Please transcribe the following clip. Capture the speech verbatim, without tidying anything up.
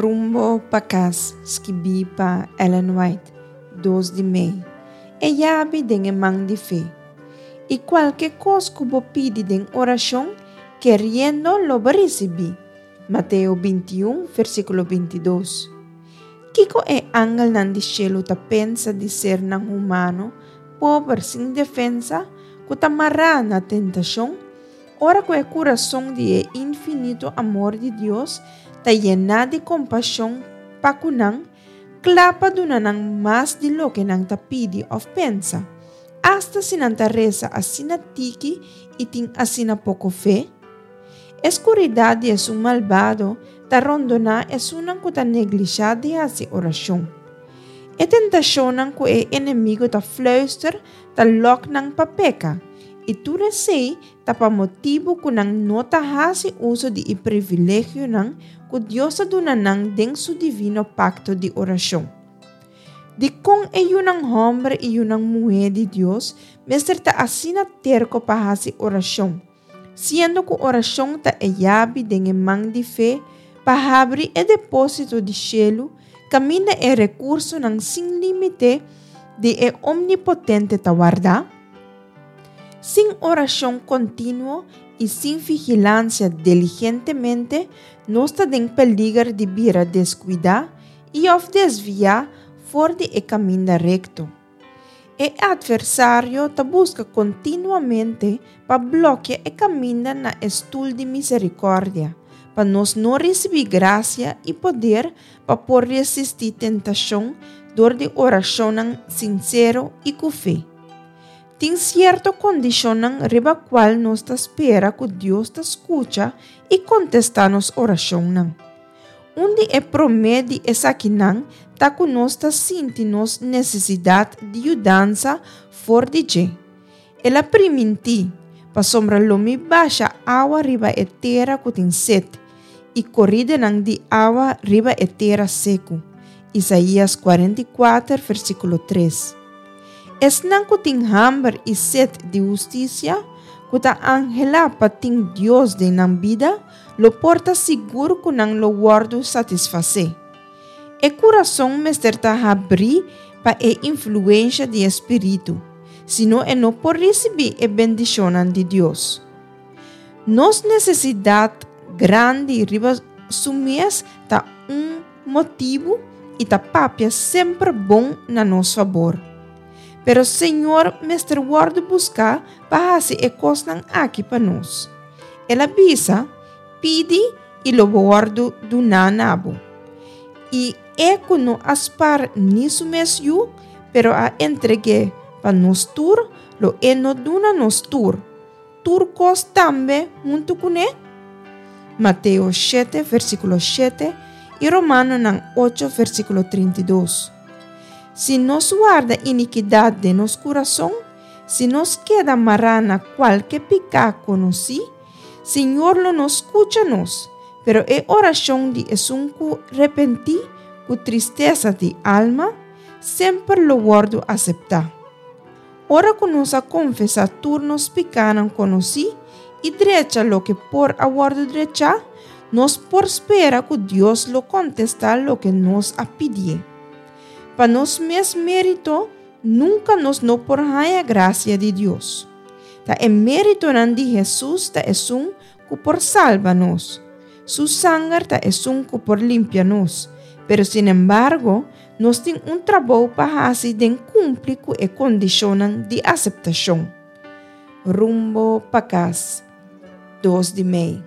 Rumbo pa Kas, skibí pa Ellen White, dos di mei. E yabi den e man di fe. I kualke kos ku bo pidi den orashon, keriendo, lo bo risibí. Mateo binti un, versíkulo binti dos. Kiko e angelnan di shelu ta pensa di sernan humano, pober sin defensa, ku ta mará na tentashon, ora ku e kurason di e infinito amor di Dios ta yená di kompashon pa ku nan, kla pa duna nan mas di loke nan ta pidi òf pensa, asta si nan ta resa asina tiki i tin asina poko fe? E skuridat di esun malbado ta rondoná esunnan ku ta neglishá di hasi orashon. E tentashonnan ku e enemigu ta fluister ta lòk nan pa peka, i tur esei ta pa motibu ku nan no ta hasi uso di e privilegionan ku Dios a duna nan den su divino pakto di orashon. Dikon e yunan hòmber i yunan muhé di Dios mester ta asina terko pa hasi orashon, siendo ku orashon ta e yabi den e man di fe pa habri e depósito di shelu kaminda e rekursonan sin límite di e Omnipotente ta wardá? Sin orashon kontinuo i sin vigilansia diligentemente, nos ta den peliger di bira deskuidá i òf desviá for di e kaminda rekto. E atversario ta buska kontinuamente pa blòkia e kaminda na e stul di miserikòrdia, pa nos no risibí grasia i poder pa por resistí tentashon dor di orashonnan sinsero i ku fe. Tin sierto kondishonnan riba kual nos ta spera ku Dios ta skucha i kontestá nos orashonnan. Un di e promé di esakinan ta ku nos ta sinti nos nesesidat di yudansa for di dje. El a primintí, Pasobra lo mi basha awa riba e tera ku tin set, i koridenan di awa riba e tera seku. Isaías kuarenta i kuater, versíkulo tres. Esnan ku tin hamber i set di hustisia, ku ta anhelá pa tin Dios den nan bida, lo por ta sigur ku nan lo wòrdu satisfasé. E kurason mester ta habrí pa e influensha di e Spiritu, sino e no por risibí e bendishonnan di Dios. Nos nesesidat grandi riba su mes ta un motibu i ta papia semper bon na nos fabor. Pero Señor mester wòrdu buská pa hasi e kosnan aki pa nos. El a bisa, Pidi i lo bo wòrdu duná na bo. I e ku no a spar ni su mes yu, pero a entreg'é pa nos tur, lo e no duna nos tur tur kos tambe huntu kuné? Mateo shete, versíkulo shete i Romanonan ocho, versíkulo trinta i dos. Si nos warda inikidat den nos kurason, si nos keda mará na kualke piká konosí, Señor lo no skucha nos, pero e orashon di esun ku repentí ku tristesa di alma semper lo wòrdu aseptá. Ora ku nos a konfesá tur nos pikánan konosí i drecha loke por a wòrdu drechá, nos por spera ku Dios lo kontestá loke nos a pidié. Pa nos mes mérito, nunka nos no por haña grasia di Dios. Ta e méritonan di Hesus ta esun ku por salba nos. Su sanger ta esun ku por limpia nos. Pero sinembargo, nos tin un trabou pa hasi den kumpli ku e kondishonnan di aseptashon. Rumbo pa kas, dos di mei.